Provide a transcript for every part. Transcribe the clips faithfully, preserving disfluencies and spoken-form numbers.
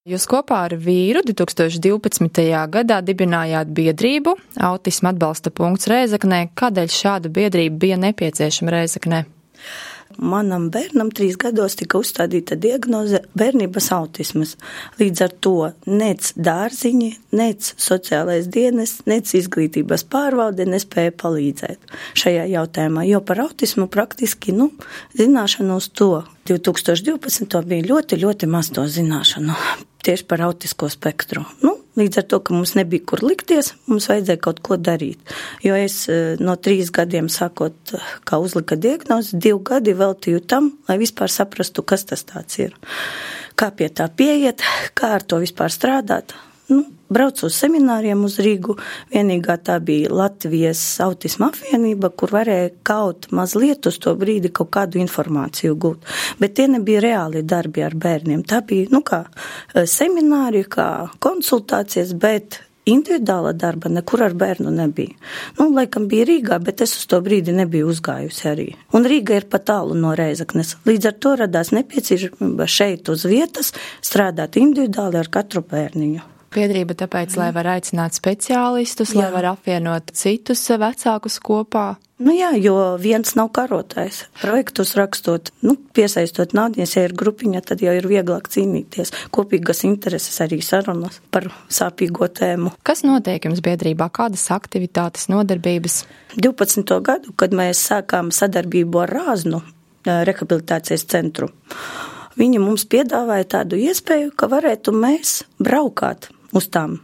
Jūs kopā ar vīru divtūkstoš divpadsmitajā gadā dibinājāt biedrību Autisma atbalsta punkts Rēzeknē. Kādēļ šāda biedrība bija nepieciešama Rēzeknē? Manam bērnam trīs gados tika uzstādīta diagnoze bērnības autismas. Līdz ar to nec dārziņi, nec sociālais dienas, nec izglītības pārvalde nespēja palīdzēt šajā jautājumā, jo par autismu praktiski, nu, zināšanu uz to divtūkstoš divpadsmito bija ļoti, ļoti maz to zināšanu tieši par autisko spektru. Nu, līdz ar to, ka mums nebija kur likties, mums vajadzēja kaut ko darīt. Jo es no trīs gadiem sākot, kā uzlika diagnozi, divi gadi veltīju tam, lai vispār saprastu, kas tas tāds ir. Kā pie tā pieiet, kā ar to vispār strādāt. Nu, braucu uz semināriem uz Rīgu, vienīgā tā bija Latvijas autisma apvienība, kur varēja kaut mazliet uz to brīdi kaut kādu informāciju gūt. Bet tie nebija reāli darbi ar bērniem. Tā bija, nu kā, semināri, kā konsultācijas, bet individuāla darba nekur ar bērnu nebija. Nu, laikam bija Rīgā, bet es uz to brīdi nebiju uzgājusi arī. Un Rīga ir pat tālu no Rēzeknes. Līdz ar to radās nepieciešamība šeit uz vietas strādāt individuāli ar katru bērniņu. Biedrība tāpēc, lai var aicināt speciālistus, jā. Lai var apvienot citus vecākus kopā. Nu jā, jo viens nav karotājs. Projektus rakstot, nu, piesaistot naudies, ja ir grupiņa, tad jau ir vieglāk cīnīties. Kopīgas intereses arī sarunas par sāpīgo tēmu. Kas notiek jums biedrībā? Kādas aktivitātes, nodarbības? divpadsmito gadu, kad mēs sākām sadarbību ar Rāznu rehabilitācijas centru, viņi mums piedāvāja tādu iespēju, ka varētu mēs braukāt uz tām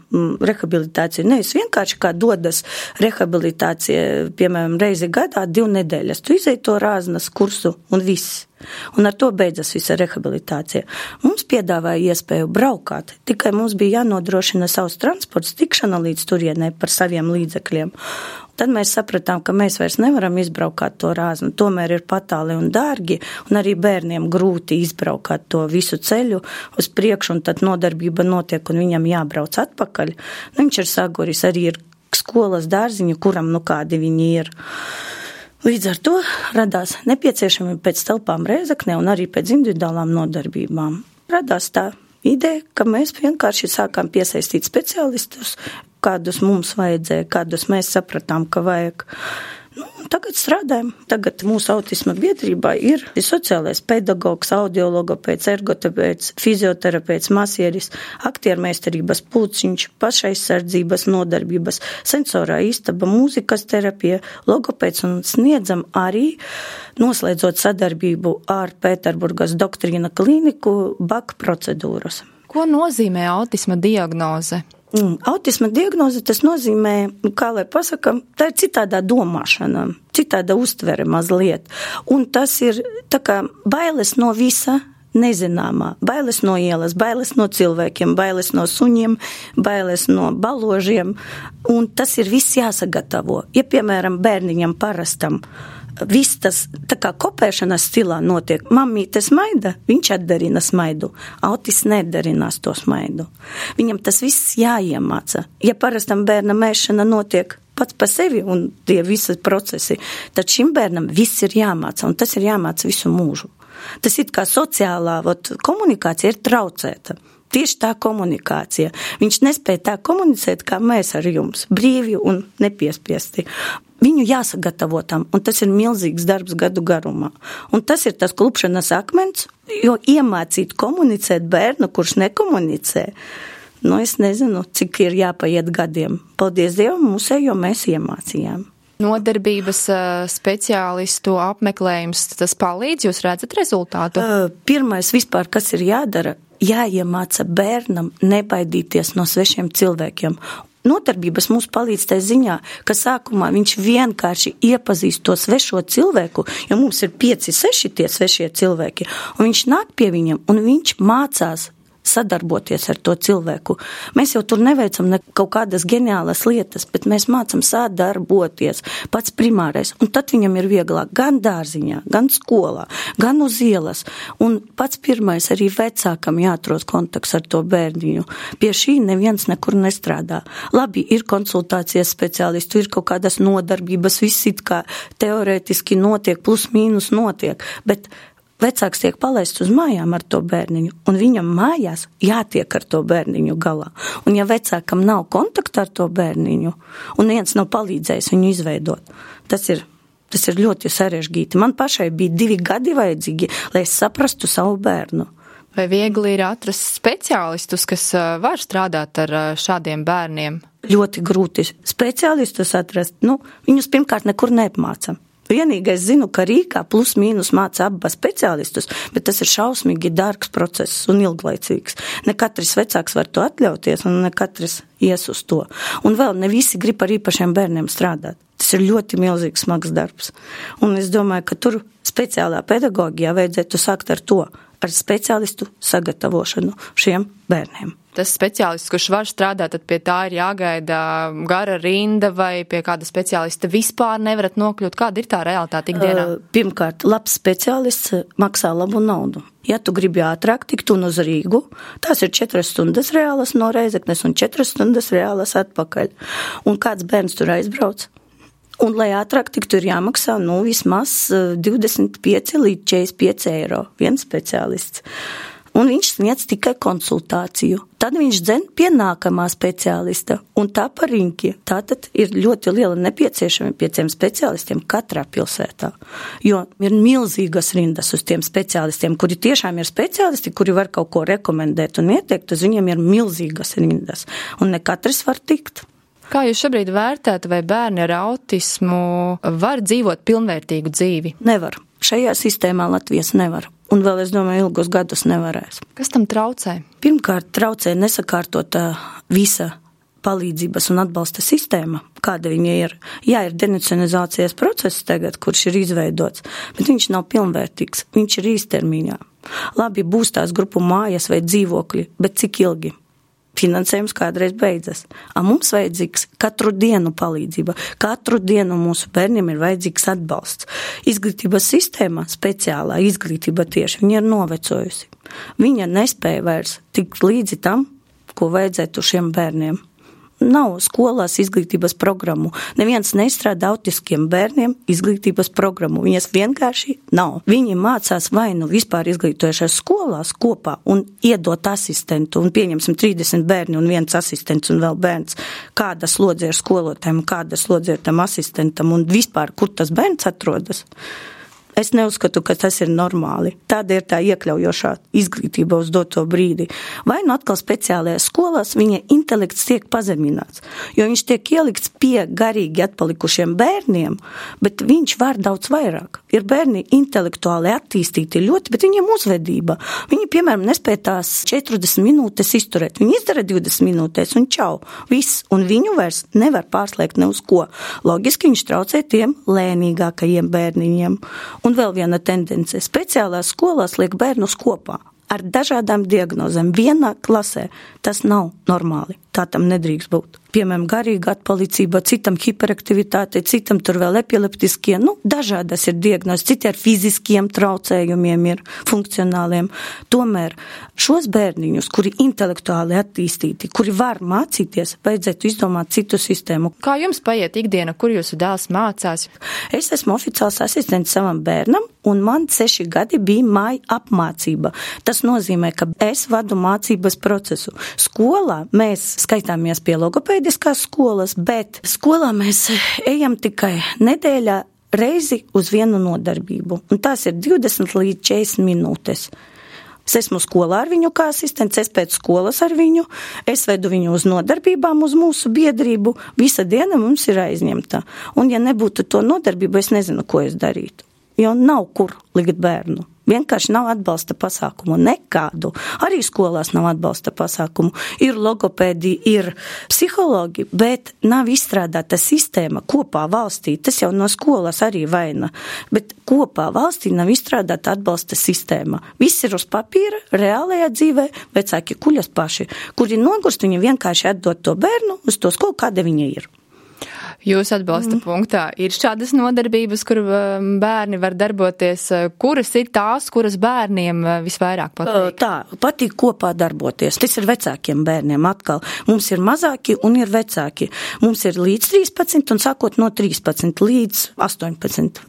rehabilitāciju. Nevis vienkārši kā dodas rehabilitācija, piemēram, reizi gadā, divu nedēļas. Tu izēji to Rāznas kursu un viss. Un ar to beidzas visa rehabilitācija. Mums piedāvāja iespēju braukāt, tikai mums bija jānodrošina savs transports, tikšana līdz turienei par saviem līdzekļiem. Tad mēs sapratām, ka mēs vairs nevaram izbraukāt to Rāznu, tomēr ir patāli un dārgi, un arī bērniem grūti izbraukāt to visu ceļu uz priekšu, un tad nodarbība notiek, un viņam jābrauc atpakaļ. Nu, viņš ir Sagoris, arī ir skolas dārziņi, kuram nu kādi viņi ir. Līdz ar to radās nepieciešami pēc telpām Rēzeknē un arī pēc individuālām nodarbībām. Radās tā ideja, ka mēs vienkārši sākām piesaistīt speciālistus, kādus mums vajadzēja, kādus mēs sapratām, ka vajag. Nu, tagad strādājam. Tagad mūsu autisma biedrībā ir sociālais pedagogs, audiologopēds, ergoterapeits, fizioterapeits, masieris, aktiermeistarības pulciņš, pašaizsardzības nodarbības, sensorā istaba, mūzikas terapija, logopēds un sniedzam arī, noslēdzot sadarbību ar Pēterburgas doktrīna klīniku, baka procedūras. Ko nozīmē autisma diagnoze? Mm, autisma diagnoze, tas nozīmē, kā lai pasakam, tā ir citādā domāšana, citāda uztvere mazliet. Un tas ir tā kā bailes no visa nezināmā, bailes no ielas, bailes no cilvēkiem, bailes no suņiem, bailes no baložiem. Un tas ir viss jāsagatavo. Ja, piemēram, bērniņam parastam, viss tas tā kā kopēšanas stilā notiek. Mammīte smaida, viņš atdarina smaidu. Autis nedarinās to smaidu. Viņam tas viss jāiemāca. Ja parastam bērnam ēšana notiek pats pa sevi un tie visi procesi, tad šim bērnam viss ir jāmāca, un tas ir jāmāca visu mūžu. Tas ir kā sociālā ot, komunikācija ir traucēta. Tieši tā komunikācija. Viņš nespēja tā komunicēt, kā mēs ar jums, brīvi un nepiespiesti. Viņu jāsagatavo tam, un tas ir milzīgs darbs gadu garumā. Un tas ir tas klupšanas akmens, jo iemācīt komunicēt bērnu, kurš nekomunicē, nu es nezinu, cik ir jāpaiet gadiem. Paldies Dievam, mūsējo mēs iemācījām. Nodarbības speciālistu apmeklējums, tas palīdz, jūs redzat rezultātu? Pirmais vispār, kas ir jādara, jāiemāca bērnam nebaidīties no svešiem cilvēkiem. Nodarbības mums palīdz tajā ziņā, ka sākumā viņš vienkārši iepazīst to svešo cilvēku, jo mums ir pieci, seši tie svešie cilvēki, un viņš nāk pie viņiem, un viņš mācās sadarboties ar to cilvēku. Mēs jau tur neveicam ne kaut kādas ģeniālas lietas, bet mēs mācam sadarboties, pats primārais, un tad viņam ir vieglāk gan dārziņā, gan skolā, gan uz ielas, un pats pirmais arī vecākam jāatrod kontakts ar to bērniņu. Pie šī neviens nekur nestrādā. Labi, ir konsultācijas speciālistu, ir kaut kādas nodarbības, viss it kā teorētiski notiek, plus mīnus notiek, bet vecāks tiek palaists uz mājām ar to bērniņu, un viņam mājās jātiek ar to bērniņu galā. Un ja vecākam nav kontakta ar to bērniņu, un viens nav palīdzējis viņu izveidot, tas ir, tas ir ļoti sarežģīti. Man pašai bija divi gadi vajadzīgi, lai es saprastu savu bērnu. Vai viegli ir atrast speciālistus, kas var strādāt ar šādiem bērniem? Ļoti grūti speciālistus atrast. Nu, viņus pirmkārt nekur neapmāca. Vienīgais zinu, ka Rīgā plus mīnus māca abas speciālistus, bet tas ir šausmīgi dārgs process un ilglaicīgs. Ne katrs vecāks var to atļauties un ne katrs ies uz to. Un vēl ne visi grib ar īpašiem bērniem strādāt. Tas ir ļoti milzīgs smags darbs. Un es domāju, ka tur speciālā pedagogijā vajadzētu sākt ar to, ar speciālistu sagatavošanu šiem bērniem. Tas speciālists, kurš var strādāt, tad pie tā ir jāgaida gara rinda vai pie kāda speciālista vispār nevarat nokļūt. Kāda ir tā realitāte ikdienā? Pirmkārt, labs speciālists maksā labu naudu. Ja tu gribi ātrāk tikt un uz Rīgu, tās ir četras stundas reālas no Reizeknes un četras stundas reālas atpakaļ. Un kāds bērns tur aizbrauc? Un, lai ātrāk tiktu, ir jāmaksā, nu, vismaz divdesmit pieci līdz četrdesmit pieci eiro viens speciālists. Un viņš sniedz tikai konsultāciju. Tad viņš dzen pie nākamā speciālista, un tā par riņķi. Tātad ir ļoti liela nepieciešama pieciem speciālistiem katrā pilsētā, jo ir milzīgas rindas uz tiem speciālistiem, kuri tiešām ir speciālisti, kuri var kaut ko rekomendēt un ieteikt, uz viņiem ir milzīgas rindas, un ne katrs var tikt. Kā jūs šobrīd vērtētu, vai bērni ar autismu var dzīvot pilnvērtīgu dzīvi? Nevar. Šajā sistēmā Latvijas nevar. Un vēl, es domāju, ilgus gadus nevarēs. Kas tam traucē? Pirmkārt, traucē nesakārtota visa palīdzības un atbalsta sistēma, kāda viņa ir. Jā, ir denacionalizācijas process tagad, kurš ir izveidots, bet viņš nav pilnvērtīgs, viņš ir īstermiņā. Labi, būs tās grupu mājas vai dzīvokļi, bet cik ilgi? Finansējums kādreiz beidzas. A mums vajadzīgs katru dienu palīdzība. Katru dienu mūsu bērniem ir vajadzīgs atbalsts. Izglītības sistēma, speciālā izglītība tieši, viņa ir novecojusi. Viņa nespēja vairs tikt līdzi tam, ko vajadzētu šiem bērniem. Nav skolās izglītības programmu. Neviens neizstrādā autiskiem bērniem izglītības programmu. Viņas vienkārši nav. Viņi mācās vai nu vispār izglītojušās skolās kopā un iedot asistentu, un pieņemsim trīsdesmit bērni un viens asistents un vēl bērns, kāda slodze ir skolotājiem, kāda slodze ir tam asistentam un vispār, kur tas bērns atrodas. Es neuzskatu, ka tas ir normāli. Tāda ir tā iekļaujošā izglītība uz doto brīdi. Vai nu atkal speciālajās skolās viņa intelekts tiek pazemināts, jo viņš tiek ielikts pie garīgi atpalikušiem bērniem, bet viņš var daudz vairāk. Ir bērni intelektuāli attīstīti ļoti, bet viņiem uzvedība. Viņi, piemēram, nespēj tās četrdesmit minūtes izturēt. Viņi izdara divdesmit minūtes un čau, viss, un viņu vairs nevar pārslēgt ne uz ko. Logiski viņš traucē tiem lēnīgākajiem bērniņiem. Un vēl viena tendence. Speciālās skolās liek bērnus kopā ar dažādām diagnozēm vienā klasē. Tas nav normāli. Tā tam nedrīkst būt. Piemēram, garīga atpalicība, citam hiperaktivitāte, citam tur vēl epileptiskie, nu, dažādas ir diagnozes, citi ar fiziskiem traucējumiem ir funkcionāliem. Tomēr šos bērniņus, kuri intelektuāli attīstīti, kuri var mācīties, vajadzētu izdomāt citu sistēmu. Kā jums paiet ikdiena, kur jūsu dēls mācās? Es esmu oficiāls asistents savam bērnam, un man seši gadi bija māja apmācība. Tas nozīmē, ka es vadu mācības procesu. Skolā mēs skaitāmies pie logopēdiskās skolas, bet skolā mēs ejam tikai nedēļā reizi uz vienu nodarbību. Un tās ir divdesmit līdz četrdesmit minūtes. Es esmu skolā ar viņu kā asistents, es pēc skolas ar viņu, es vedu viņu uz nodarbībām, uz mūsu biedrību. Visa diena mums ir aizņemta. Un ja nebūtu to nodarbību, es nezinu, ko es darītu. Jo nav kur likt bērnu. Vienkārši nav atbalsta pasākumu, nekādu. Arī skolās nav atbalsta pasākumu. Ir logopēdi, ir psihologi, bet nav izstrādāta sistēma kopā valstī. Tas jau no skolas arī vaina. Bet kopā valstī nav izstrādāta atbalsta sistēma. Viss ir uz papīra, reālajā dzīvē, vecāki kuļas paši, kuri nogurst, viņi vienkārši atdod to bērnu uz to skolu, kāda viņa ir. Jūsu atbalsta mm. punktā ir šādas nodarbības, kur bērni var darboties. Kuras ir tās, kuras bērniem visvairāk patīk? Tā, patīk kopā darboties. Tas ir vecākiem bērniem atkal. Mums ir mazāki un ir vecāki. Mums ir līdz trīspadsmit un sākot no trīspadsmit līdz astoņpadsmit.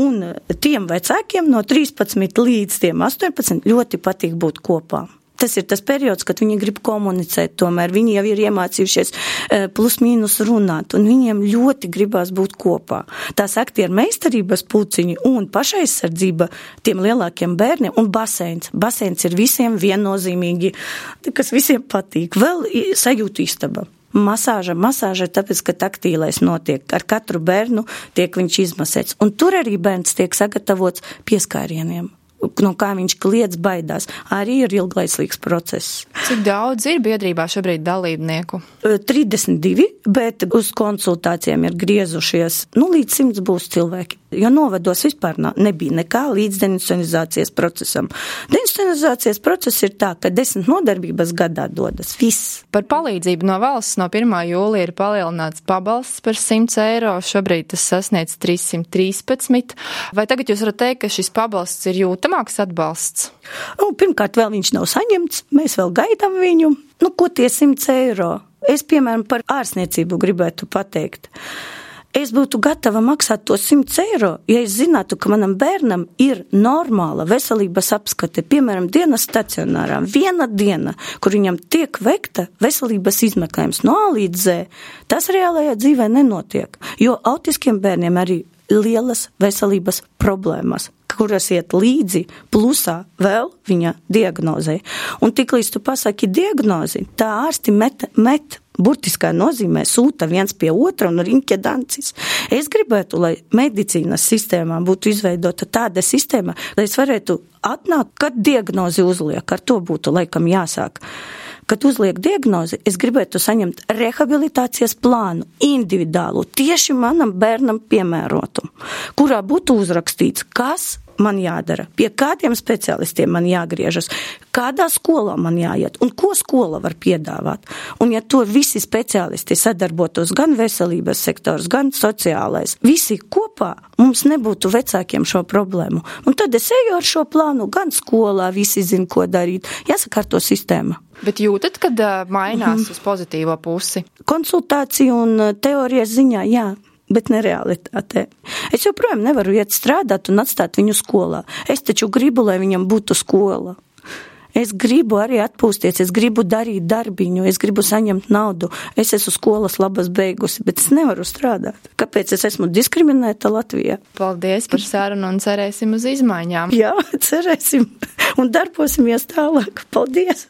Un tiem vecākiem no trīspadsmit līdz tiem astoņpadsmit ļoti patīk būt kopā. Tas ir tas periods, kad viņi grib komunicēt, tomēr viņi jau ir iemācījušies plus mīnus runāt, un viņiem ļoti gribās būt kopā. Tās aktieru meistarības pulciņi un pašaizsardzība tiem lielākiem bērniem un baseins. Baseins ir visiem viennozīmīgi, kas visiem patīk. Vēl sajūta istaba. Masāža, masāža, tāpēc, ka taktīlais notiek. Ar katru bērnu tiek viņš izmasēts. Un tur arī bērns tiek sagatavots pieskārieniem. No kā viņš kliedz, baidās. Arī ir ilglaislīgs process. Cik daudz ir biedrībā šobrīd dalībnieku? trīsdesmit divi, bet uz konsultācijām ir griezušies, nu, līdz simts būs cilvēki. Jo novados vispār nebija nekā līdz deinstitucionalizācijas procesam. Deinstitucionalizācijas process ir tā, ka desmit nodarbības gadā dodas viss. Par palīdzību no valsts no pirmā jūlija ir palielināts pabalsts par simts eiro, šobrīd tas sasniedz trīssimt trīspadsmit. Vai tagad jūs varat teikt, ka šis pabalsts ir jūtamāks atbalsts? Nu, pirmkārt, vēl viņš nav saņemts, mēs vēl gaidām viņu. Nu, ko tie simts eiro? Es, piemēram, par ārstniecību gribētu pateikt. Es būtu gatava maksāt to simts eiro, ja es zinātu, ka manam bērnam ir normāla veselības apskate, piemēram, dienas stacionārā, viena diena, kur viņam tiek veikta veselības izmeklējums no A līdz Z. Tas reālajā dzīvē nenotiek, jo autiskiem bērniem arī lielas veselības problēmas, kuras iet līdzi plusā vēl viņa diagnozē. Un tiklīdz tu pasaki diagnozi, tā ārsti met, met burtiskā nozīmē sūta viens pie otra un riņķa dancis. Es gribētu, lai medicīnas sistēmā būtu izveidota tāda sistēma, lai es varētu atnākt, kad diagnozi uzliek, ar to būtu laikam jāsāk. Kad uzliek diagnozi, es gribētu saņemt rehabilitācijas plānu, individuālu, tieši manam bērnam piemērotu, kurā būtu uzrakstīts, kas man jādara, pie kādiem speciālistiem man jāgriežas, kādā skolā man jāiet un ko skola var piedāvāt. Un ja to visi speciālisti sadarbotos, gan veselības sektors, gan sociālais, visi kopā, mums nebūtu vecākiem šo problēmu. Un tad es eju ar šo plānu, gan skolā, visi zin, ko darīt. Jāsakārto sistēma. Bet jūtat, kad uh, mainās mm-hmm. uz pozitīvo pusi? Konsultāciju un teorijas ziņā, jā. Bet ne realitātē. Es joprojām nevaru iet strādāt un atstāt viņu skolā. Es taču gribu, lai viņam būtu skola. Es gribu arī atpūsties, es gribu darīt darbiņu, es gribu saņemt naudu. Es esmu skolas labas beigusi, bet es nevaru strādāt. Kāpēc es esmu diskriminēta Latvijā? Paldies par sarunu un cerēsim uz izmaiņām. Jā, cerēsim un darbosimies tālāk. Paldies!